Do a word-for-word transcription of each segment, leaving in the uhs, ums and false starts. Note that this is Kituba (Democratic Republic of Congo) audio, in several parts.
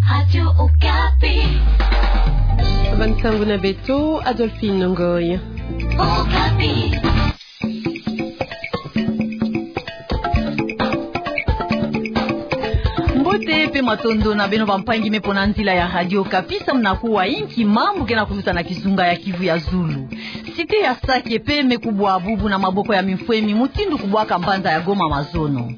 Radio Okapi. Bansangu na beto, Adolphine Ngoy. Okapi. Mbote pe matondo na beno bampangi me pona nzila ya Radio Okapi, samu na kuwa inki mambu ke na kuluta na kizunga ya Kivu ya zulu. Cité ya Sake pe me kubwa bubu na maboko ya mimfwemi mutindu kubwaka mbanza ya Goma mazono.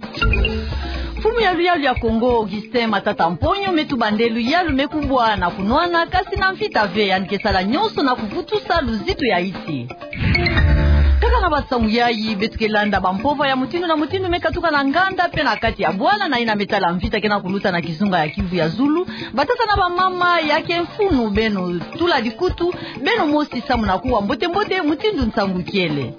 Mfumu ya luyalu ya Kongo, Augustin Matata Mponyo, me tuba nde luyalu me kubwa na kunwana, kasi na mvita ve, yandi ke sala nyonso na kuvutusa luzitu ya insi. Kaka na bansangu yayi, beto ke landa bampova ya mutindu na mutindu me katuka na nganda pe na kati ya bwala na yina me tala mvita ke na kuluta na kizunga ya Kivu ya zulu. Batata na bamama, ya ke mfunu beno tula dikutu, beno mosi samu na kuwa mbote-mbote mutindu nsangu ikele.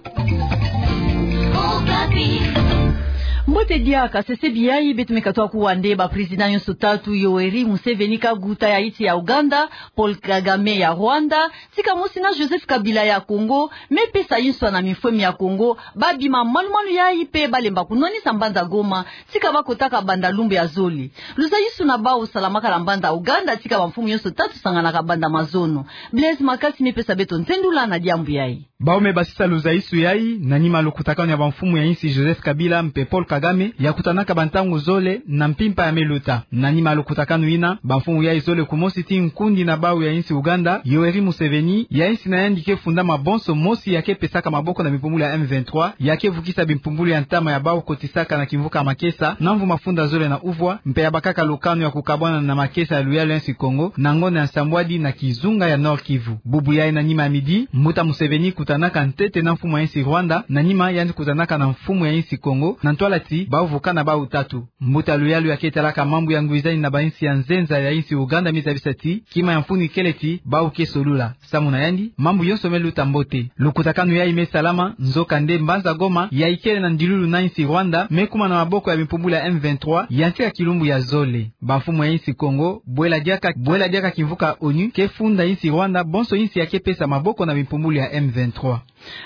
Mbote diaka, sesebi yayi, beto me katuka kuwa nde ba président nyonso tatu, Yoweri Museveni Kaguta ya insi ya Uganda, Paul Kagame ya Rwanda, tika mosi na Joseph Kabila ya Kongo, me pesa nswa na mimfwemi ya Kongo, babima malu-malu yayi pe balemba kunwanisa mbanza Goma, tika bakotaka banda lumbu ya zole. Luzayisuna bau salamaka na mbanza Uganda, tika bamfumu nyonso tatu sanganaka banda mazono. Blaise Makasi me pesa beto ntendula na diambu yayi. Bau me basisa luzayisu yayi, na nima lukutakanu ya bamfumu ya insi Joseph Kabila mpe Paul Kagame, ya kutanaka bantangu zole na mpimpa ya me luta. Na nima lukutakanu yina, bamfumu yayi zole, kumosi ti nkundi na bau ya insi Uganda, Yoweri Museveni, ya insi na yandi ke funda mabonso mosi ya ke pesaka maboko na bimpumbulu ya M vingt-trois, ya ke vukisa bimpumbulu ya ntama ya bau kotisaka na kimvuka makesa, na mvu mafunda zole na uvwa, mpe ya bakaka lukanu ya kukabwana na makesa ya luyalu ya insi Kongo, na ngonda ya nsambwadi na kizunga ya Nord-Kivu. Bubu yayi na nima ya midi, mbuta Museveni kutanaka ntete na mfumu ya insi Rwanda, na nima yandi kutanaka na mfumu ya insi Kongo, na ntwala ti bau vukana bau tatu. Mbuta luyalu ya ke talaka mambu ya ngwizani na bainsi ya nzenza ya insi Uganda me zabisa ti, kima ya mfunu ikele ti, bau ke solula. Samu na yandi, mambu yonso me luta mbote. Lukutakanu yayi me salama, nzokande mbanza Goma, ya ikele na ndilulu na insi Rwanda, me kuma na maboko ya bimpumbulu ya M vingt-trois, ya ntika kilumbu ya zole. Bamfumu ya insi Kongo, bwela diaka, bwela diaka kimvuka ONU, ke funda insi Rwanda, bonso insi ya ke pesa maboko na bimpumbulu ya M vingt-trois.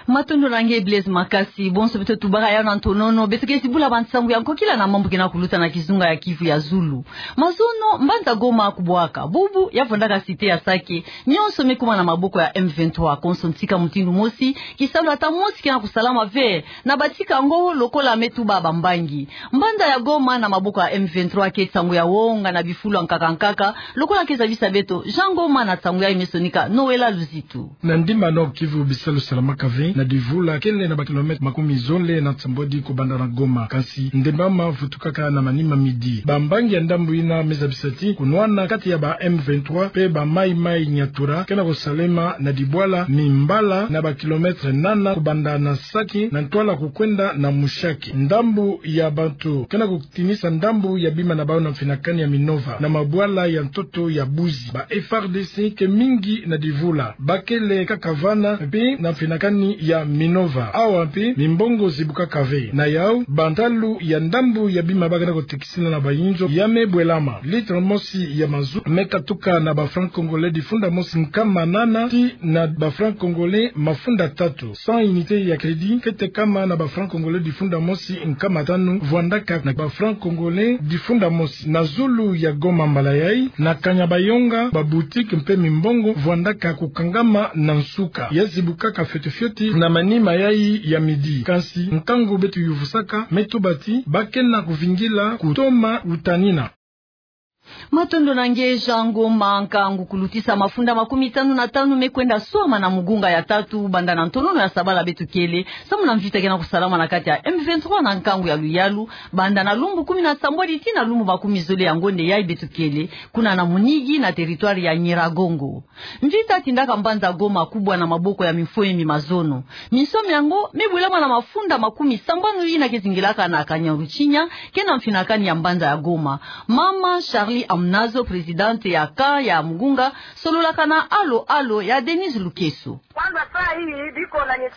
Matondo na nge Blaise Makasi, bonso beto tubaka yawu na ntonono, beto ke zibula bansangu ya nkokila na mambu ke na kuluta na kizunga ya Kivu ya zulu. Mazono, mbanza Goma kubwaka, bubu, ya vwandaka cité ya Sake, nyonso me kuma na maboko ya M vingt-trois, konso ntika mutindu mosi, kisalu ata mosi ke na kusalama ve, na batika yango lokola me tuba bambangi. Mbanza ya Goma na maboko ya M vingt-trois ke nsangu ya wonga na bifulu ya nkaka nkaka, lokola ke zabisa beto, Jean Ngoma na nsangu yayi me sonika, Noëlla Luzitu. Na ndimba Nord-Kivu bisalu salamaka ve, na divula kele na ba kilomètre makumi zole na nsambwadi kubanda na Goma. Kasi ndembama vutukaka na manima midi. Bambangi ya ndambu yina me zabisa ti, kunwana kati ya ba M vingt-trois pe ba Mai Mai Nyatura, ke na kusalema na dibwala mimbala na ba kilomètre nana kubanda na Sake, na ntwala kukwenda na Mushaki. Ndambu ya bantu ke na kutinisa ndambu ya bima na bau na mfinakani ya Minova, na mabwala ya ntoto ya Buzi. Ba F A R D C ke mingi na divula. Ba kele kaka vana mpe na mfinakani ya Minova. Awa mpe mimbongo zibukaka ve. Na yawu, bantalu ya ndambu ya bima ba ke na kutekisila na bayinzo ya me bwelama. Litre mosi ya mazout me katuka na ba francs congolais difunda mosi nkama nana tii na ba francs congolais mafunda tatu. Cent unités ya crédit ke tekama na ba francs congolais difunda mosi nkama tanu, vwandaka na ba francs congolais difunda mosi. Na zulu ya Goma mbala yayi, na Kanyabayonga, ba boutique mpe mimbongo vwandaka kukangama na nsuka. Ya zibukaka fioti fioti na manima yayi ya midi. Kansi nkangu beto yuvusaka me tuba ti, ba ke na kuvingila kutoma uta nina. Matondo na nge Jean Ngoma. Nkangu kulutisa mafunda makumi tanu na tanu me kwenda swama na mugunga ya tatu, banda na ntonono ya sabala beto kele, samu na mvita ke na kusalama na kati ya M vingt-trois na nkangu ya luyalu, banda na lumbu kumi na sambwadi tii na lumbu makumi zole ya ngonde yayi beto kele, kuna na Munigi na territoire ya Nyiragongo. Mvita tindaka mbanza Goma kubwa na maboko ya mifwemi mazono. Misamu miango me bwelama na mafunda makumi sambanu yina ke zingilaka na Kanyaruchinya, ke na mfinakani ya mbanza ya Goma. Mama Charlie Amunazo, présidente ya camp ya mugunga, sololaka na Alo Alo ya Denise Lukeso.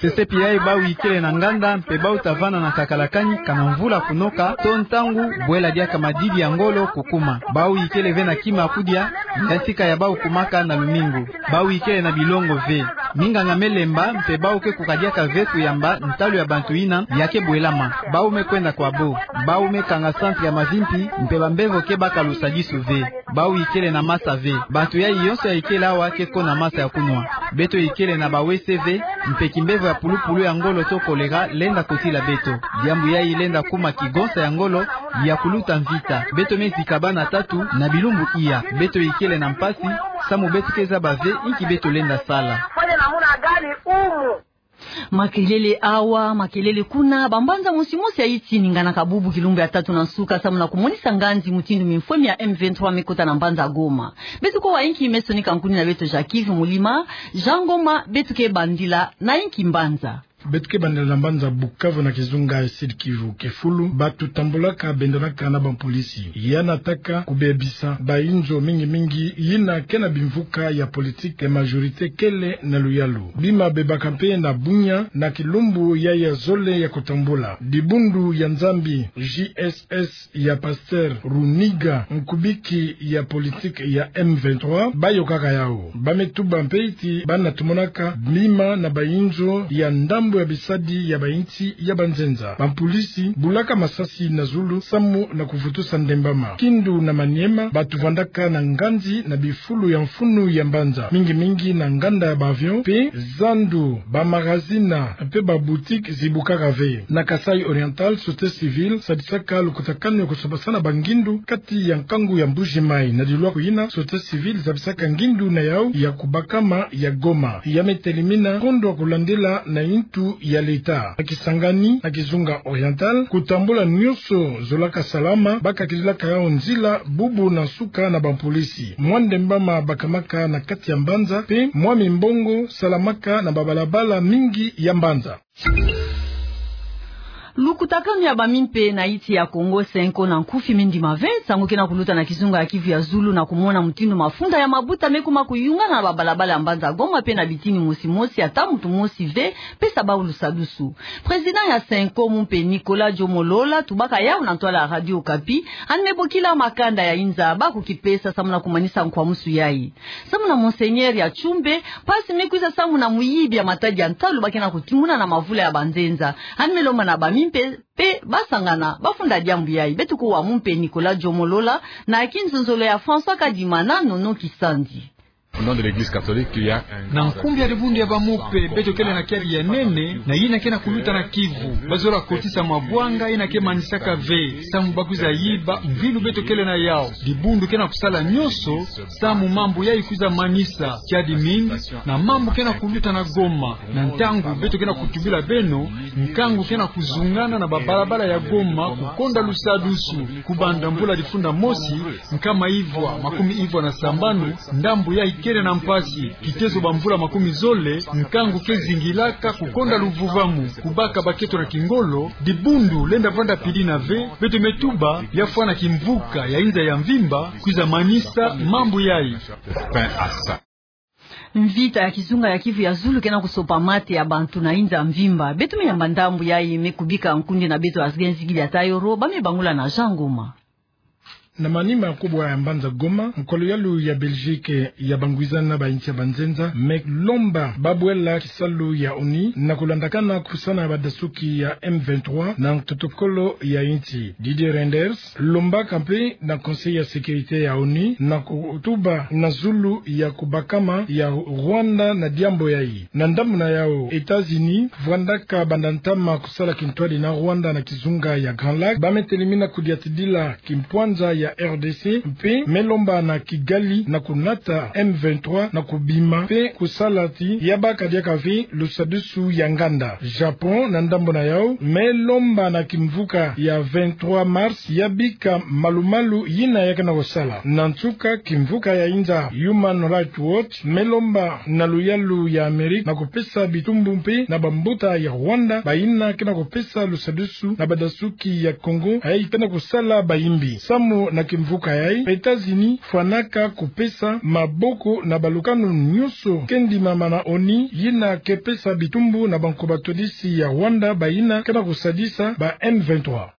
Sesepi yayi bau ikele na nganda mpe bau ta vana na nsakalakani kana mvula kunoka, to ntangu bwela diaka madidi ya ngolo kukuma. Bau ikele ve na kima kudia, ya ntika ya bau kumaka na lumingu. Bau ikele na bilongo ve. Minganga me lemba mpe bau ke kukadiaka ve kuyamba ntalu ya bantu yina ya ke bwelama. Bau me kwenda kwa bo. Bau me kanga centre ya mavimpi mpe bambevo ke baka lusadisu ve. Bawu ikele na masa ve. Bato yai yonso ya ikele awa ke ko na masa ya kunwa. Beto ikele na ba W C ve, mpe kimbevo ya pulupulu ya ngolo to kolera lenda kotila beto. Diambu yai lenda kuma kigonsa ya ngolo ya kuluta mvita. Beto me zika bana tatu na bilumbu iya. Beto ikele na mpasi, samu beto ke zaba ve inki beto lenda sala. Makelele awa, makelele kuna, bambanza mosi mosi ya Haïti eninganaka bubu kilumbu ya tatu na nsuka, samu na kumonisa nganzi mutindu mimfwemi ya M vingt-trois me kota na mbanza Goma. Beto kuwa inki me sonika nkuni na beto Jacques Yves Mulima. Jean Ngoma, beto ke bandila na inki mbanza? Beto ke bandila na mbanza Bukavu na kizunga ya Sud-Kivu. Ke fulu, bato tambolaka bendanaka na bampolisi. Ya nataka kubebisa bayinzo mingi mingi yina ke na bimvuka ya politique, majorité kele na luyalu. Bima bebaka mpe na Bunia na kilumbu yai ya zole ya kutambula. Dibundu ya Nzambi, J S S ya Pasteur Runiga, nkubiki ya politique ya M vingt-trois, bayokaka yawu. Ba me tuba mpe ti ba na tumonaka bima na bayinzo ya ndambu ya bisadi ya bayinsi ya banzenza. Bampolisi bulaka masasi na zulu samu na kuvutusa ndembama. Kindu na Maniema, bato vandaka na nganzi na bifulu ya mfunu ya mbanza, mingi mingi na nganda ya ba avion, mpe zandu, ba magazina, mpe ba boutique zibukaka ve. Na Kasaï Oriental, société civile sadisaka lukutakanu ya kusabasana bangindu kati ya nkangu ya Mbuji-Mayi. Na dilwaku yina, société civile zabisaka ngindu na yawu ya kubakama ya Goma. Ya me telimina kondwa kulandila na yintu ya leta. Na Kisangani, na kizunga Oriental, kutambula nionso zolaka salama, ba kakililaka yawu nzila bubu na nsuka na bampolisi. Mwa ndembama bakamaka na kati ya mbanza, mpe mwa mimbongo salamaka na babalabala mingi ya mbanza. Lukutakanu ya bamimpe na insi ya Kongo, Cenco na nkufi, me ndima ve nsangu ke na kuluta na kizunga ya Kivu ya Zulu, na kumona mutindu mafunda ya mabuta me kuma kuyungana na babalabala ya mbanza Goma, mpe na bitini mosi mosi ata muntu mosi ve pesa bawu lusadusu. Président ya Cenco, mumpe Nicolas Djo Molola, tubaka yawu na ntwala ya Radio Okapi, yandi me bokila makanda ya inza ba kukipesa samu na kumanisa nkwamusu yai. Samu na Monseigneur ya Tshumbe, mpasi me kwiza samu na muyibi ya matadi ya ntalu ba ke na kutimuna na mavula ya banzenza. Yandi me lomba na bamimpe mpe basangana bafunda diambu yai. Beto kuwa mumpe Nicolas Djo Molola na kinzonzolo ya François Kadima na Nono Kisanzi. Au nom de l'Église catholique, il y a un... Na nkumbu ya dibundu ya bamumpe, beto kele na kiadi ya nene na yina ke na kuluta na Kivu. Bazola kotisa mabwanga yina ke manisaka ve, samu ba kwiza yiba mvilu beto kele na yawu. Dibundu ke na kusala nionso samu mambu yai kwiza manisa. Kiadi mingi na mambu ke na kuluta na Goma. Na ntangu beto ke na kutubila beno, nkangu ke na kuzungana na babalabala ya Goma kukonda lusadusu. Kubanda mbula difunda mosi, nkama ivwa makumi ivwa na sambanu, ndambu yai kele na mpasi. Kitezo bamvula makumi zole, nkangu ke zingilaka kukonda luvuvamu. Kubaka baketo na kingolo, dibundu lenda vanda pidina ve. Beto me tuba ya fwana kimvuka ya inza ya mvimba kwiza manisa mambu yai. Mvita ya kizunga ya Kivu ya Zulu ke na kusopa mate ya bantu na inza mvimba. Beto me yamba ndambu yai me kubika nkundi na beto Asgen Zigidi ya Tayoro, ba me bangula na Jean Ngoma. Na manima ya kubwa ya mbanza Goma, nkolo yalu ya Belgique ya bangwizana na bayinsi ya banzenza me lomba babwela kisalu ya ONU na kulandakana kupusana badasuki ya M vingt-trois na protocole ya insi. Didier Reynders lombaka mpe na Conseil ya sécurité ya ONU na kutuba na zulu ya kubakama ya Rwanda na diambu yai. Na ndambu na yawu, États-Unis vwandaka banda ntama kusala kintwadi na Rwanda na kizunga ya Grand Lac. Ba me telimina kudiatidila kimpwanza ya R D C, mpe me lomba na Kigali na kunata M vingt-trois na kubima mpe kusala ti ya baka diaka ve lusadusu ya nganda. Japon, na ndambu na yawu, me lomba na kimvuka ya vingt-trois mars ya bika malu-malu yina ya ke na kusala. Na nsuka, kimvuka ya inza Human Rights Watch me lomba na luyalu ya Amérique na kupesa bitumbu mpe na bambuta ya Rwanda bayina ke na kupesa lusadusu na badasuki ya Congo yai ke na kusala bayimbi. Samu na kimvuka yai, États-Unis fwanaka kupesa maboko na balukanu nionso ke ndimama na ONU yina ke pesa bitumbu na bankoba twadisi ya Rwanda bayina ke na kusadisa ba M vingt-trois.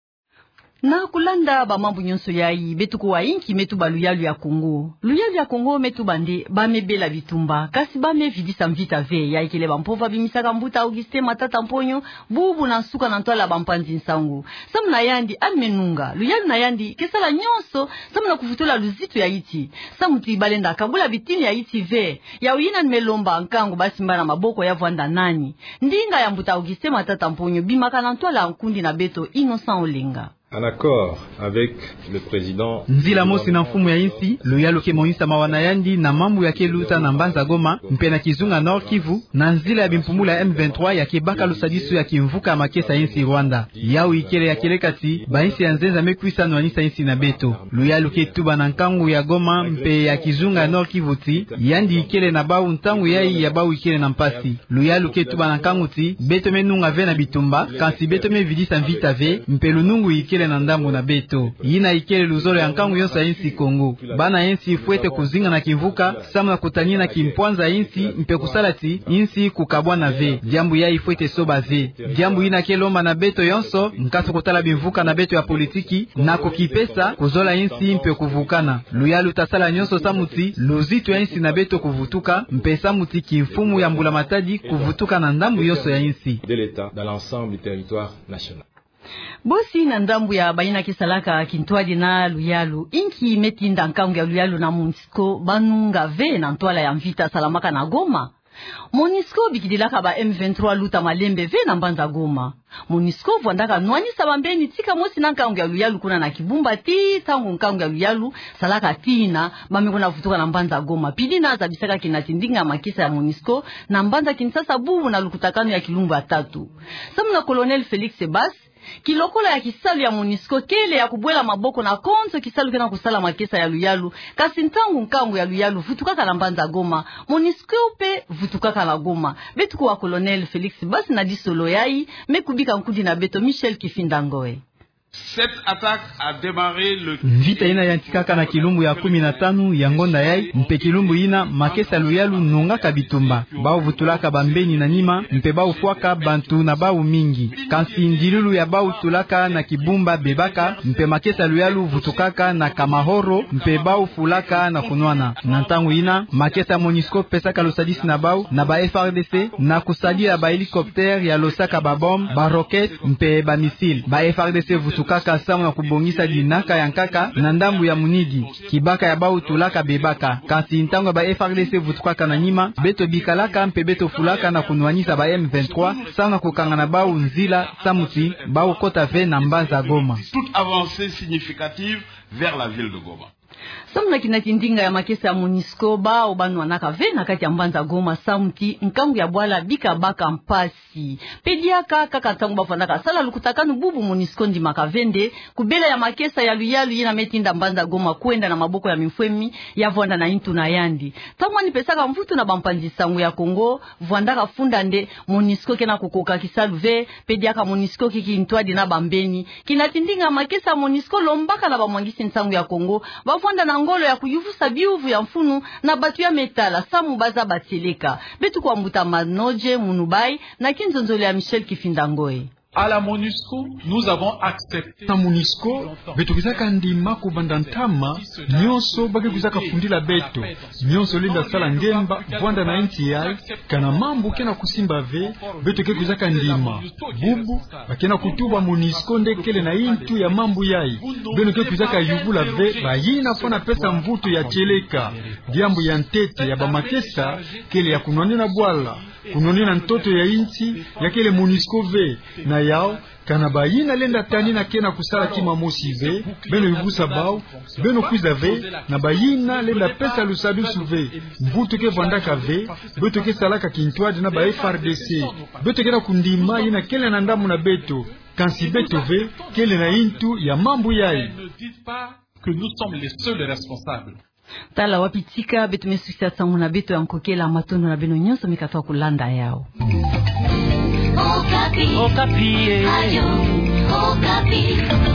Na kulanda bamambu nyonso yai, beto kuwa inki me tuba luyalu ya Kongo. Luyalu ya Kongo me tuba nde ba me bela bitumba, kasi ba me vidisa mvita ve. Yai kele bampova bimisaka mbuta Augustin Matata Mponyo, bubu na nsuka na ntwala bampanzi nsangu. Samu na yandi, ani me nunga luyalu na yandi ke sala nyonso samu na kuvutula luzitu ya insi. Samu ti balenda kabula bitini ya insi ve. Yawu yina ni me lomba nkangu ba simba na maboko ya vwanda nani. Ndinga ya mbuta Augustin Matata Mponyo bimaka na ntwala ya nkundi na beto Innocent Olenga. En accord avec le président. Nzila mosi na mfumu ya insi, luyalu ke monisa mawa na yandi na mambu ya ke luta na mbanza Goma, mpe na kizunga Nord-Kivu, na nzila ya bimpumula ya M vingt-trois ya ke baka lusadisu ya kimvuka ya makesa ya insi Rwanda. Yawu ikele ya kieleka ti bainsi ya nzenza me kwisa nwanisa insi na beto. Luyalu ke tuba na nkangu ya Goma mpe ya kizunga ya Nord-Kivu ti yandi ikele na bawu ntangu yai ya bawu ikele na mpasi. Luyalu ke tuba na nkangu ti beto me nunga ve na bitumba, kansi beto me vidisa mvita ve, mpe lunungu ikele na ndambu na beto. Yina ikele luzolo ya nkangu yonso ya insi Kongo. Bana insi fwete kuzinga na kimvuka, samu na kutanina kimpwanza ya insi, mpe kusala ti insi kukabwana ve. Diambu yai fwete soba ve. Diambu yina ke lomba na beto yonso nkatu kutala bimvuka na beto ya politiki, na kukipesa, kuzola insi mpe kuvukana. Luyalu ta sala nyonso samu ti luzitu ya insi na beto kuvutuka, mpe samu ti kimfumu ya mbula matadi kuvutuka na ndambu yonso ya insi. De l'État dans l'ensemble du territoire national. Bosi na ndambu ya bayina ke salaka kintwadi na luyalu, inki me tinda nkangu ya luyalu na MONUSCO ba nunga ve na ntwala ya mvita salamaka na Goma? MONUSCO bikidilaka ba M vingt-trois luta malembe ve na mbanza Goma. MONUSCO vwandaka nwanisa bambeni tika mosi na nkangu ya luyalu kuna na Kibumba tii ntangu nkangu ya luyalu salaka tina, ba me kwenda vutuka na mbanza Goma. Pili na zabisaka kinati ndinga ya makesa ya MONUSCO na mbanza Kinshasa bubu na lukutakanu ya kilumbu ya tatu. Samu na Colonel Félix Basse, kilokola ya kisalu ya MONUSCO kele ya kubwela maboko na konso kisalu kena kusala makesa ya luyalu, kasi ntangu nkangu ya luyalu vutukaka na mbanza Goma, MONUSCO mpe vutukaka na Goma. Beto kuwa Colonel Félix Basse na disolo yai, me kubika nkundi na beto Michel Kifinda Ngoe. Cette attaque a démarré le... Mvita yina yantikaka na kilumbu ya kumi na tanu ya ngonda yai, mpe kilumbu yina makesa luyalu nungaka bitumba. Bawu vutulaka bambeni na nima, mpe bawu fwaka bantu na bawu mingi. Kansi ndilulu ya bawu tulaka na Kibumba bebaka, mpe makesa luyalu vutukaka na Kamahoro, mpe bawu fulaka na kunwana. Na ntangu yina, makesa MONUSCO pesaka lusadisi na bawu na ba F R D C, na kusadila ba hélicoptère ya losaka ba bombe, ba roquette, mpe ba missile. Ba F R D C vutukaka samu na kubongisa dinaka ya nkaka na ndambu ya Munigi. Kibaka ya bawu tulaka bebaka. Kansi ntangu ya ba F R D C vutukaka na nima, beto bikalaka mpe beto fulaka na kunwanisa ba M vingt-trois, samu na kukanga na bawu nzila, samu ti bawu kota ve na mbanza Goma. Toute avancée significative vers la ville de Goma. Samu na kinati ndinga ya makesa ya MONUSCO, bawu ba nwanaka ve na kati ya mbanza Goma, samu ti nkangu ya bwala bika baka mpasi. Pe diaka kaka ntangu ba vwandaka sala lukutakanu bubu, MONUSCO ndimaka ve nde kubela ya makesa ya luyalu yina me tinda mbanza Goma kwenda na maboko ya mimfwemi ya vwanda na intu na yandi. Ntangu ani pesaka mvutu na bampanzi nsangu ya Kongo, vwandaka funda nde MONUSCO kena kukoka kisalu ve, pe diaka MONUSCO ke kintwadi na bambeni. Kinati ndinga ya makesa ya MONUSCO lombaka na bamwangisi nsangu ya Kongo ba vwanda na ngolo ya kuyuvusa biyuvu ya mfunu na bantu ya me tala samu ba zaba tieleka. Beto kuwa mbuta Manodje Munubai na kinzonzolo ya Michel Kifinda Ngoe. À la MONUSCO, nous avons accepté... Na MONUSCO, beto kwizaka ndima kubanda ntama nyonso ba ke kwizaka fundila beto. Nyonso lenda sala ngemba vwanda na inti yai, kana mambu kena kusimba ve, beto ke kwizaka ndima. Bubu, ba kena kutuba MONUSCO nde kele na intu ya mambu yai. Beno ke kwizaka yubula ve bayina fwana pesa mvutu ya tieleka. Diambu ya ntete ya bamakesa kele ya kunwanina bwala, kunwanina ntoto ya inti, ya kele MONUSCO ve. Na yau, kana bayina lenda tanina kena kusala kima mosi ve, beno yuvusa bawu, beno kwiza ve na bayina lenda pesa lusadusu ve. Mvutu ke vwandaka ve, beto ke salaka kintwadi na ba F R D C. Beto kena kundima yina kele na ndambu na beto, kansi beto ve kele na intu ya mambu yai. Ne dites pas que nous sommes les seuls responsables. Tala wapi tika beto me sukisa nsangu na beto ya nkokela. Matondo na beno nyonso me katuka kulanda yau. Okapi. Okapi, eh. Radio Okapi.